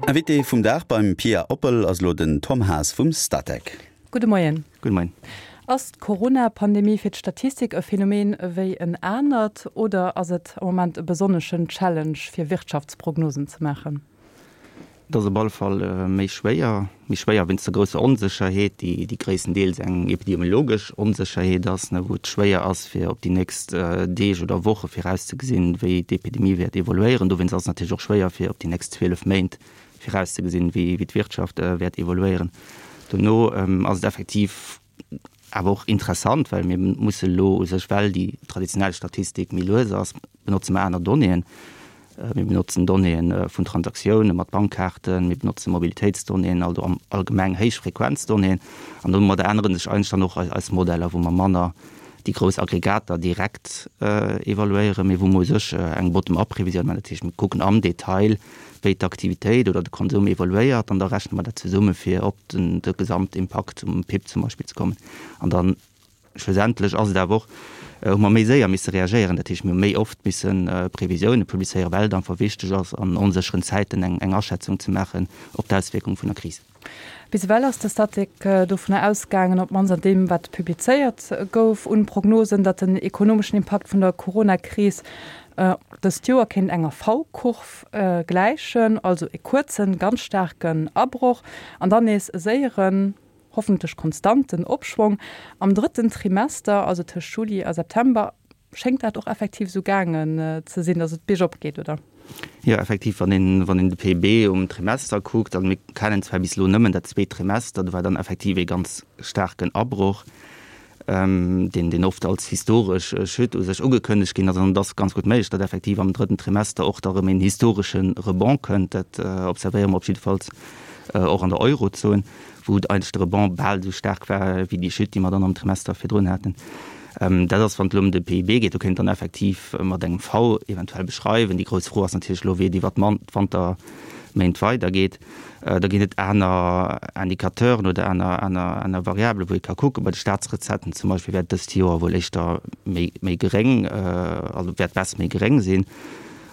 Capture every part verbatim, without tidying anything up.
Invité vum Dag beim Pia Oppel ass elo den Tom Haas vum Statec. Gudde Moien. Gudde Moien. Ass d'Corona-Pandemie fir d'Statistik e Phänomen ewéi en anert oder ass et am Moment e besonneschen Challenge fir Wirtschaftsprognosen ze maachen? Et ass op alle Fall méi schwéier, méi schwéier wéinst der grousser Onsécherheet, déi déi gréisstendeels eng epidemiologesch Onsécherheet ass, wou et schwéier ass fir op déi nächst Deeg oder Woche virauszegesinn, wéi d'Epidemie wäert evoluéieren. Dowéinst ass et natierlech och schwéier fir op déi nächst zwielef Méint virauszegesinn, wéi d'Wirtschaft wäert evoluéieren. Dono ass et effektiv awer och interessant, well mir musse elo u sech, well déi traditionell Statistik méi lues ass, benotze mer aner Donnéeën. Mir benotzen Donnéeë vun Transaktioune mat Bankkaarten, mir benotze Mobilitéitsdonnéeën, also am allgemeng Héichfrequenzdonnéeën. An domadder ännere sech eigentlech dann och eis Modeller, wou mer manner déi grouss Aggregater direkt evaluéieren, mee wou mer u sech eng Bottom-up-Revisioun maachen. Dat heescht, mir kucken am Detail, wéi d'Aktivitéit oder de Konsum evoluéiert an da rechne mer dat zesumme fir op den de Gesamtimpakt um P I B zum Beispill ze kommen. An dann schlussendlech ass et awer och, hu mer méi séier misse reagéieren, dat heescht mir hu méi oft misse Previsioune publizéieren, well et einfach wichteg ass an onsécheren Zäiten eng eng Aschätzung ze maachen op d'Auswierkung vun der Kris. Bis ewell ass de Statec dovunner ausgaangen, op d'mannst an deem wat publizéiert gouf un Prognosen, datt den ekonomeschen Impakt vun der Corona-Kris dëst Joer kéint enger V-Kurv gläichen, also e kuerzen, ganz staarken Abroch an dann nees e séieren, hoffentlech konstanten Opschwong am drëtten Trimester, also tëscht Juli a September. Schéngt dat och effektiv esou gaangen ze sinn, datt et biergop geet, oder? Jo, effektiv, wann een, wann een de P I B um Trimester kuckt, also mir kennen zwar bis elo nëmmen dat zweet Trimester, do war dann effektiv ee ganz staarken Abroch, deen, deen oft als historesch Chute u sech ugekënnegt ginn ass. An et ass ganz gutt méiglech, datt effektiv am drëtten Trimester och da erëm een historesche Rebond kënnt. Dat observéiere mer op jiddefalls och an der Eurozon, wou eigentlech de Rebond bal esou staark war wéi déi Chute, déi mer dann am Trimester virdrun haten. Dat ass, wann et elo ëm de P I B geet, do kéint dann effektiv mat engem V eventuell beschreiwen. Déi grouss Fro ass natierlech elo, wéi et iwwer d'Wanterméint weidergeet. Da ginn et aner Indicateuren oder aner, aner, aner Variabelen, wou ee ka kucken. Bei de Staatsrecetten zum Beispill wäert dëst Joer wuel éischter méi, méi geréng, also wäert d'Baisse méi geréng sinn.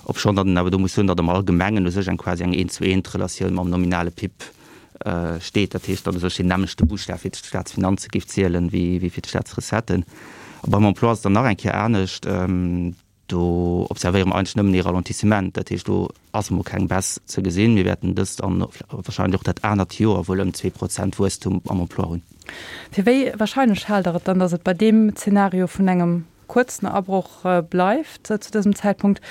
Obschonn datt een awer do muss soen, datt am Allgemengen u sech eng quasi eng Eent-zu-eent-Relatioun mam nominale P I B steet. Dat heescht, datt u sech deen nämmlechte Buschtaf fir d'Staatsfinanze géif zielen, wéi, wéi fir d'Staatsrecetten. A beim Emploi ass et dann nach eng Kéier anescht. Do observéiere mer eigentlech nëmmen ee Ralentissement. Dat heescht, do ass emol keng Baisse ze gesinn. Mir wäerten dëst an wahrscheinlech och dat anert Joer wuel ëm zwee Prozent Wuesstum am Emploi hunn. Fir wéi wahrscheinlech haalt Der et dann, datt et bei deem Zeenario vun engem kuerzen Abroch bleift zu dësem Zäitpunkt?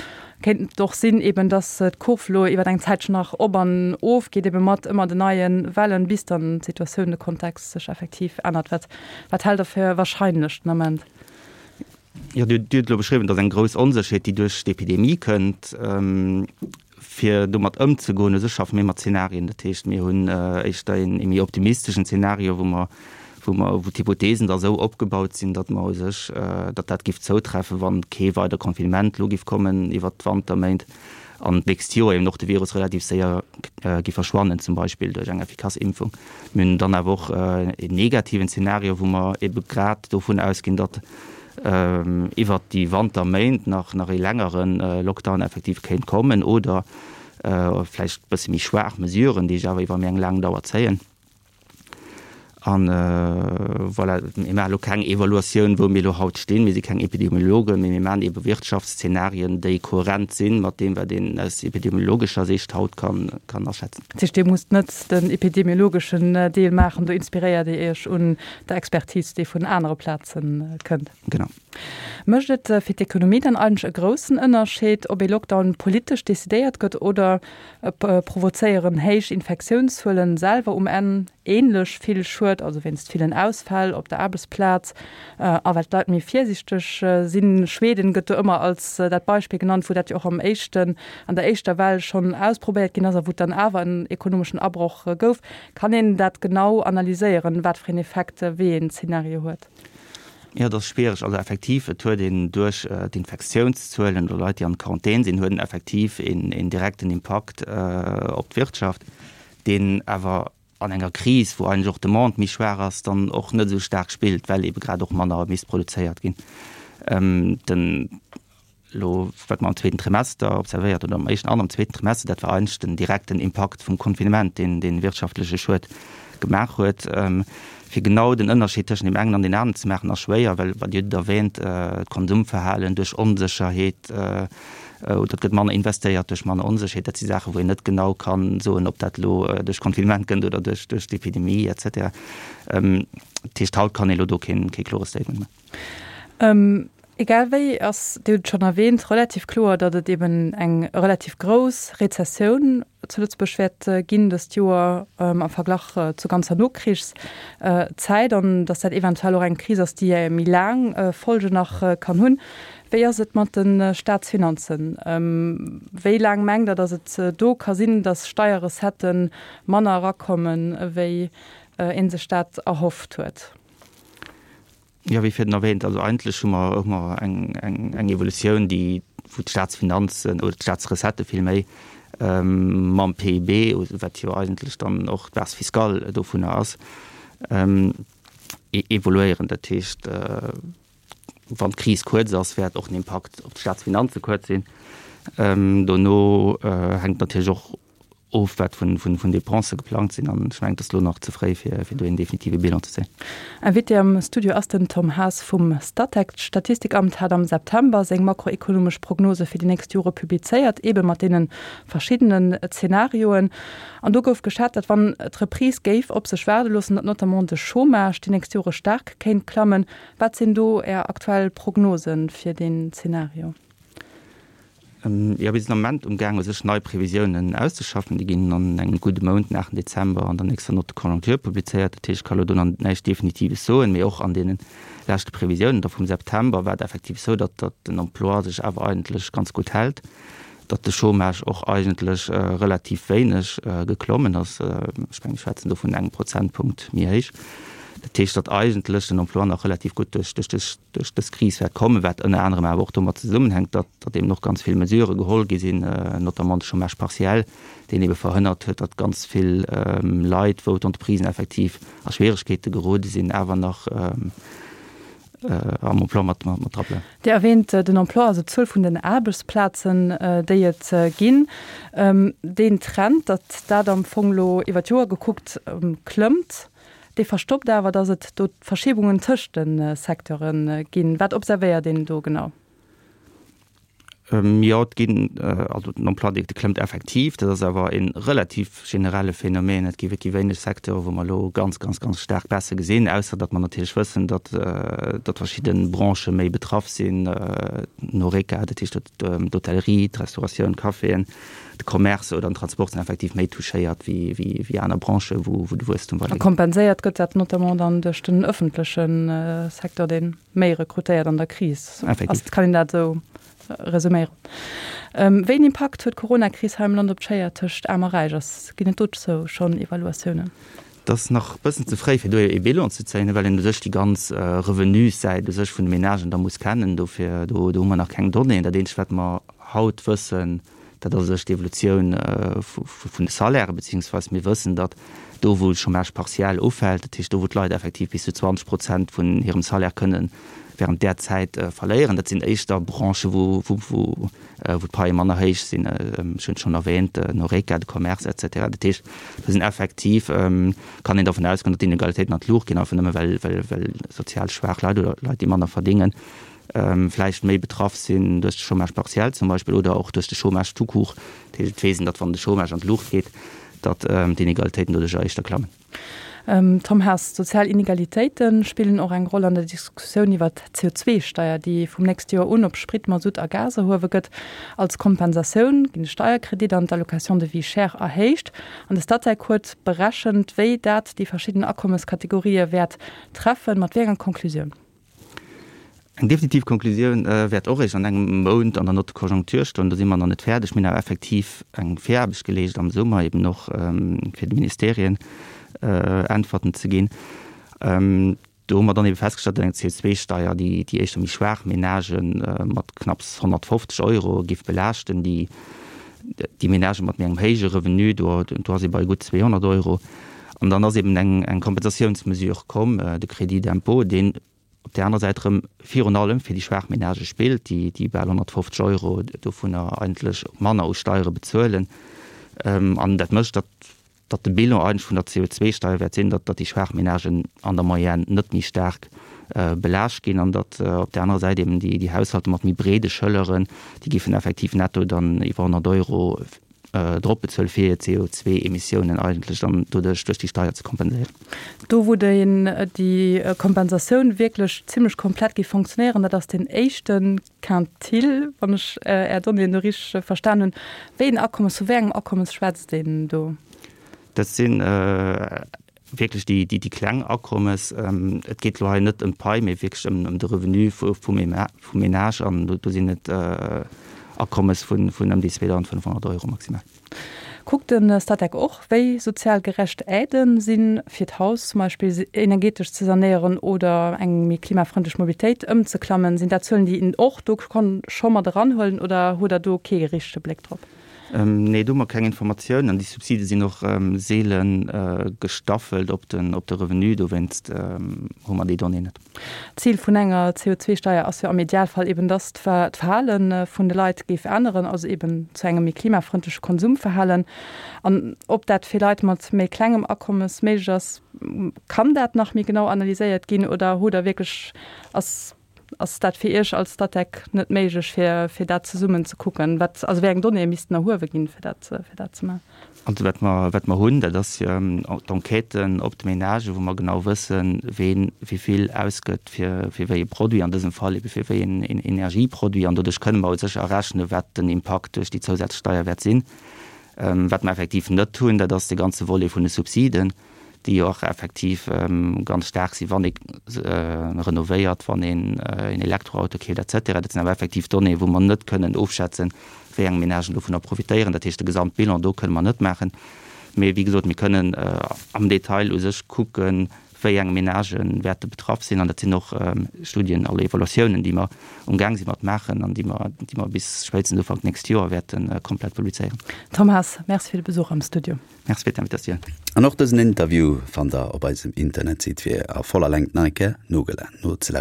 Kéint et och sinn, eben, datt d'Kurv elo iwwer eng Zäitchen nach op an of geet, ebe mat ëmmer den neie Wellen, bis dann d'Situatioun, de Kontext sech effektiv ännert? Wat, wat haalt Der fir wahrscheinlech den Ament? Jo, Dir hutt elo beschriwwen, datt eng grouss Onsécherheet, déi duerch d'Epidemie kënnt, fir domat ëmzegoen. U sech schaffe mir mat Zenarien. Dat heescht, mir hunn éischter een méi optimisteschen Zenario, wou mer, wou mer, wou d'Hypothesen da esou opgebaut sinn, datt mer u sech, datt dat géif zoutreffen, wann kee weider Confinement elo géif kommen iwwert d'Wanterméint an d'nächst Joer eben och de Virus relativ séier géif verschwannen, zum Beispill duerch eng effikass Impfung. Mir hunn dann awer och een negativen Zenario, wou mer ebe grad dovun ausginn, datt iwwert déi Wanterméint nach, nach ee längere Lockdown effektiv kéint kommen oder vläicht e bësse méi schwaach Mesuren, déi sech awer iwwer méi eng laang Dauer zéien. An voilà, mir maachen elo keng Evaluatioun, wou mir elo haut stinn. Mir si keng Epidemiologen, mee mir maachen ebe Wirtschaftsszenarien, déi kohärent sinn mat deem, wat een aus epidemiologescher Sicht haut kann, kann aschätzen. Dat heescht, Dir musst net den epidemiologeschen Deel maachen, do inspiréiert Dir Iech un der Expertise, déi vun anere Plaze kënnt. Genau. Mécht et fir d'Ekonomie dann eigentlech e groussen Ënnerscheed, ob ee Lockdown politesch decidéiert gëtt oder provozéieren héich Infektiounszuelen selwer um Enn ähnlech vill Schued, also wéinst villen Ausfäll op der Aarbechtsplaz a well d'Leit méi virsiichteg sinn? Schweden gëtt do ëmmer als dat Beispill genannt, wou dat jo och am éischten, an der éischter Well schonn ausprobéiert ginn ass a wou et dann awer en ekonomeschen Abroch gouf. Kann een dat genau analyséieren, wat fir een Effekt wéi een Zeenario huet? Jo, dat ass schwiereg. Also effektiv, et huet een duerch d'Infektiounszuelen oder Leit, déi an Quarantän sinn, huet en effektiv een, een direkten Impakt op d'Wirtschaft, deen awer an enger Kris, wou eigentlech och d'Demande méi schwaach ass, dann och net esou staark spillt, well ebe grad och manner misst produzéiert ginn. Den elo, wat mer am zweeten Trimester observéiert oder am éischten an am zweeten Trimester, dat war eigentlech den direkten Impakt vum Confinement, deen dee wirtschaftleche Schued gemaach huet. Fir genau den Ënnerscheed tëschent deem engen an deem aneren ze maachen, ass schwéier, well, wat Dir hutt et erwähnt, d'Konsumverhalen duerch Onsécherheet, oder et gëtt manner investéiert duerch manner Onsécherheet, dat si Saachen, wou een net genau ka soen, ob dat elo duerch Confinement kënnt oder duerch d'Epidemie et cetera. Dat heescht, haut kann ee elo do keen klore Statement maachen. Egal wéi ass, Dir hutt et schonn erwähnt, relativ kloer, datt et eben eng relativ grouss Rezessioun zu Lëtzebuerg wäert ginn dëst Joer am Verglach zur ganzer Nokrichszäit an datt dat eventuell och eng Kris ass, déi méi laang Folgen nach kann hunn. Wéi ass et mat de Staatsfinanzen? Wéi laang mengt Der, datt et do ka sinn, datt Steierrecettë manner erakommen, wéi ee sech dat erhofft huet? Jo, wéi virdrun erwähnt, also eigentlech hu mer hu mer eng, eng, eng Evolutioun, déi, wou d'Staatsfinanzen oder d'Staatsrecettë villméi mam P I B, wat jo eigentlech dann och d'Base fiscale dovunner ass, evoluéieren. Dat heescht, wann d'Kris kuerz ass, wäert och den Impakt op d'Staatsfinanze kuerz sinn. Dono hänkt natierlech och of, wat vun Dépensë geplangt sinn, an ech mengen, et ass elo nach ze fréi, fir do een definitive Bilan ze zéien. Invité am Studio ass den Tom Haas vum Statec. D'Statistikamt hat am September seng makroekonomesch Prognose fir déi nächst Jore publizéiert, eebe mat deene verschiddenen Zenarioen. An do gouf geschat, datt wann d'Reprise géif op sech waarde loossen, datt notamment de Chômage déi nächst Jore staark kéint klammen. Wat sinn do Är aktuell Prognose fir deen Zenario? Jo, mir sinn am Moment umgaang u sech nei Previsiounen auszeschaffen. Déi ginn an engem gudde Mount, den aachten Dezember, an der nächster Note de conjoncture publizéiert. Dat heescht, ech ka elo do nach näischt Definitives soen, mee och an deene leschte Previsiounen da vum September war et effektiv esou, datt datt den Emploi sech awer eigentlech ganz gutt hält, datt de Chômage och eigentlech relativ wéineg geklommen ass. Ech mengen, mir schwätzen do vun engem Prozentpunkt méi héich. Dat heescht, datt eigentlech den Emploi nach relativ gutt duerch duerch dës Kris wäert kommen, wat ënner anerem awer och domat zesummenhänkt, datt datt eben och ganz vill Mesurë geholl gi sinn, notamment de Chômage partiel, deen ebe verhënnert huet, datt ganz vill Leit, wou d'Entreprisen effektiv a Schwieregkeete gerode sinn, awer nach am Emploi mat mat dra bleiwen. Dir erwähnt den Emploi, also d'Zuel vun den Aarbechtsplazen, déi et ginn. Deen Trend, datt dat am Fong elo iwwer d'Joer gekuckt klëmmt, dee verstoppt awer, datt et do Verschiebungen tëscht de Secteure ginn. Wat observéiert een do genau? Jo, et ginn, also den Emploi, dee klëmmt effektiv. Dat ass awer e relativ generelle Phänomen. Et gi wierklech wéineg Secteure, wou mer elo ganz, ganz, ganz staark Baisse gesinn, ausser datt mer natierlech wëssen, datt, datt verschidde Branchë méi betraff sinn, den Horeca, dat heescht d'Hotellerie, d'Restauratioun, d'Caféen, de Commerce oder den Transport sinn effektiv méi touchéiert wéi, wéi, wéi aner Branchë, wou, wou de Wuesstum A weidergeet. kompenséiert gëtt dat notamment dann duerch den ëffentleche Secteur, dee méi rekrutéiert an der Kris. Effektiv. Ass, kann een dat esou resuméieren? Wéi een Impakt huet d'Coronakris hei am Land op d'Schéier tëscht Aarm a Räich? Ass, ginn et dozou schonn Evaluatiounen? Et ass nach e bëssen ze fréi, fir do ee Bilan ze zéien, well een u sech déi ganz Revenussäit u sech vun de Menagen da muss kennen. Dofir, do, do hu mer nach keng Donnéeën. Dat eenzegt, wat mer haut wëssen, dat ass u sech d'Evolutioun vun de Salairen, beziehungsweise mir wëssen, datt do, wou de Chômage partiel ufält, dat heescht do, wou d'Leit effektiv bis zu zwanzeg Prozent vun hirem Salaire kënnen während där Zäit verléieren, dat sinn éischter Branchen, wou, wou, wou, wou d'Paie manner héich sinn, ech hunn et schonn erwähnt, den Horeca, de Commerce et cetera. Dat heescht, do sinn effektiv, kann een dervun ausgoen, datt d'Inegalitéiten an d'Luucht ginn, einfach nëmme well, well, well sozial schwaach Leit oder Leit, déi manner verdéngen, vläicht méi betraff sinn duerch de Chômage partiel zum Beispill oder och duerch de Chômage tout court. Dat heescht, et weess een, datt wann de Chômage an d'Luucht geet, datt d'Inegalitéiten doduercher éischter klammen. Tom Haas, Sozial Inegalitéite spillen och eng Roll an der Diskussioun iwwer d'C O zwei Steier, déi vum nächste Joer un op Sprit, Masutt a Gas erhuewe gëtt. Als Kompensatioun ginn de Steierkredit an d'Allocation de vie chère erhéicht. An de Statec huet berechent, wéi dat déi verschidden Akommeskategorië wäert treffen. Mat wéi enger Conclusioun? Eng definitiv Konklusioun wäert och eréischt an engem Mount an der Note de conjoncture stoen. Do si mer nach net fäerdeg. Mir hunn awer effektiv eng Viraarbecht geleescht am Summer, eben och fir de Ministerien Äntwerten ze ginn. Do hu mer dann ebe festgestallt, datt eng C O zwei Steier déi déi éischter méi schwaach Menagë mat knapps honnertfofzeg Euro géif belaaschten. Déi déi Menagë mat méi engem héije Revenu, do do ass ee bei gutt zweehonnert Euro. An dann ass eben eng eng Kompensatiounsmesure komm, de Crédit d'impôt, deen op där anerer Säit erëm virun allem fir déi schwaach Menagë spillt, déi déi bal honnertfofzeg Euro dovunner eigentlech manner u Steiere bezuelen. An dat mécht, datt datt de Bilan eigentlech vun der C O zwei Steier wäert sinn, datt datt déi schwaach Menagen an der Moyenne net méi staark belaascht ginn an datt op där anerer Säit eben déi déi Haushalter mat méi breede Schëlleren, déi géifen effektiv netto dann iwwer honnert Euro drop bezuelen, fir hir C O zwei Emissiounen eigentlech dann doduerch duerch déi Steier ze kompenséieren. Do wou déi Kompensatioun wierklech zimlech komplett géif fonctionnéieren, dat ass deen éischte Quintil, wann ech Är Donnéeën do richteg verstan hunn. Wéi een Akommes, vu wéi engem Akommes schwätzt een do? Dat si wierklech déi, déi, déi kleng Akommes. Et geet elo hei net ëm d'Pai, mee wierklech ëm, ëm de Revenu vu, vum, vum Ménage an do, do sinn et Akommes vun, vun ëm déi zweedausendfënnfhonnert Euro maximal. Kuckt de Statec och, wéi sozial gerecht Aiden sinn, fir d'Haus zum Beispill energetesch ze sanéieren oder eng méi klimafrëndlech Mobilitéit ëmzeklammen? Sinn dat Zuelen, déi een och do kann scho mat eranhuelen oder hutt Der do kee richtege Bléck drop? Nee, do hu mer keng Informatiounen an déi Subside sinn och seele gestaffelt op den, op de Revenu, dowéinst hu mer déi Donnée net. D'Zil vun enger C O zwei Steier ass jo am Idealfall eben, dass d'Verhale vun de Leit géif änneren, also eben zu engem méi klimafrëndleche Konsumverhalen. An ob dat fir Leit mat méi klengem Akommes méiglech ass, kann dat nach méi genau analyséiert ginn oder hutt Der wierklech, ass, ass dat fir Iech als Statec net méiglech, fir, fir dat zesummen ze kucken? Wat, also wéi eng Donnéeë missten erhuewe ginn, fir dat, fir dat ze maachen? Also wat mer, wat mer hunn, dat ass d'Enquêten op de Ménagen, wou mer genau wëssen, ween wéi vill ausgëtt fir, fir wéi e Produit, an dësem Fall ebe fir wéi en, en Energieproduit. An doduerch kënne mer sécher errechnen, wat den Impakt duerch déi Zousatzsteier wäert sinn. Wat mer effektiv net hunn, dat ass de ganze Volet vun de Subsiden, déi jo och effektiv ganz staark sinn, wann ee renovéiert, wann een en Elektroauto keeft et cetera. Dat sinn awer effektiv Donnéeën, wou mer net kënnen ofschätzen, wéi eng Ménagen dovunner profitéieren. Dat heescht, de Gesamtbilan do kënne mer net maachen. Mee wéi gesot, mir kënnen am Detail u sech kucken, wéi eng Ménagen wäerte betraff sinn. An dat sinn och Studien, alle Evaluatiounen, déi mer umgaang sinn mat maachen an déi mer, déi mer bis spéitstens Ufank nächst Joer wäerte komplett publizéieren. Tom Haas, merci fir de Besuch am Studio. Merci fir d'Invitatioun. An och dësen Interview fannt der op eisem Internetsite fir a voller Längt nach eng Kéier nozelauschteren.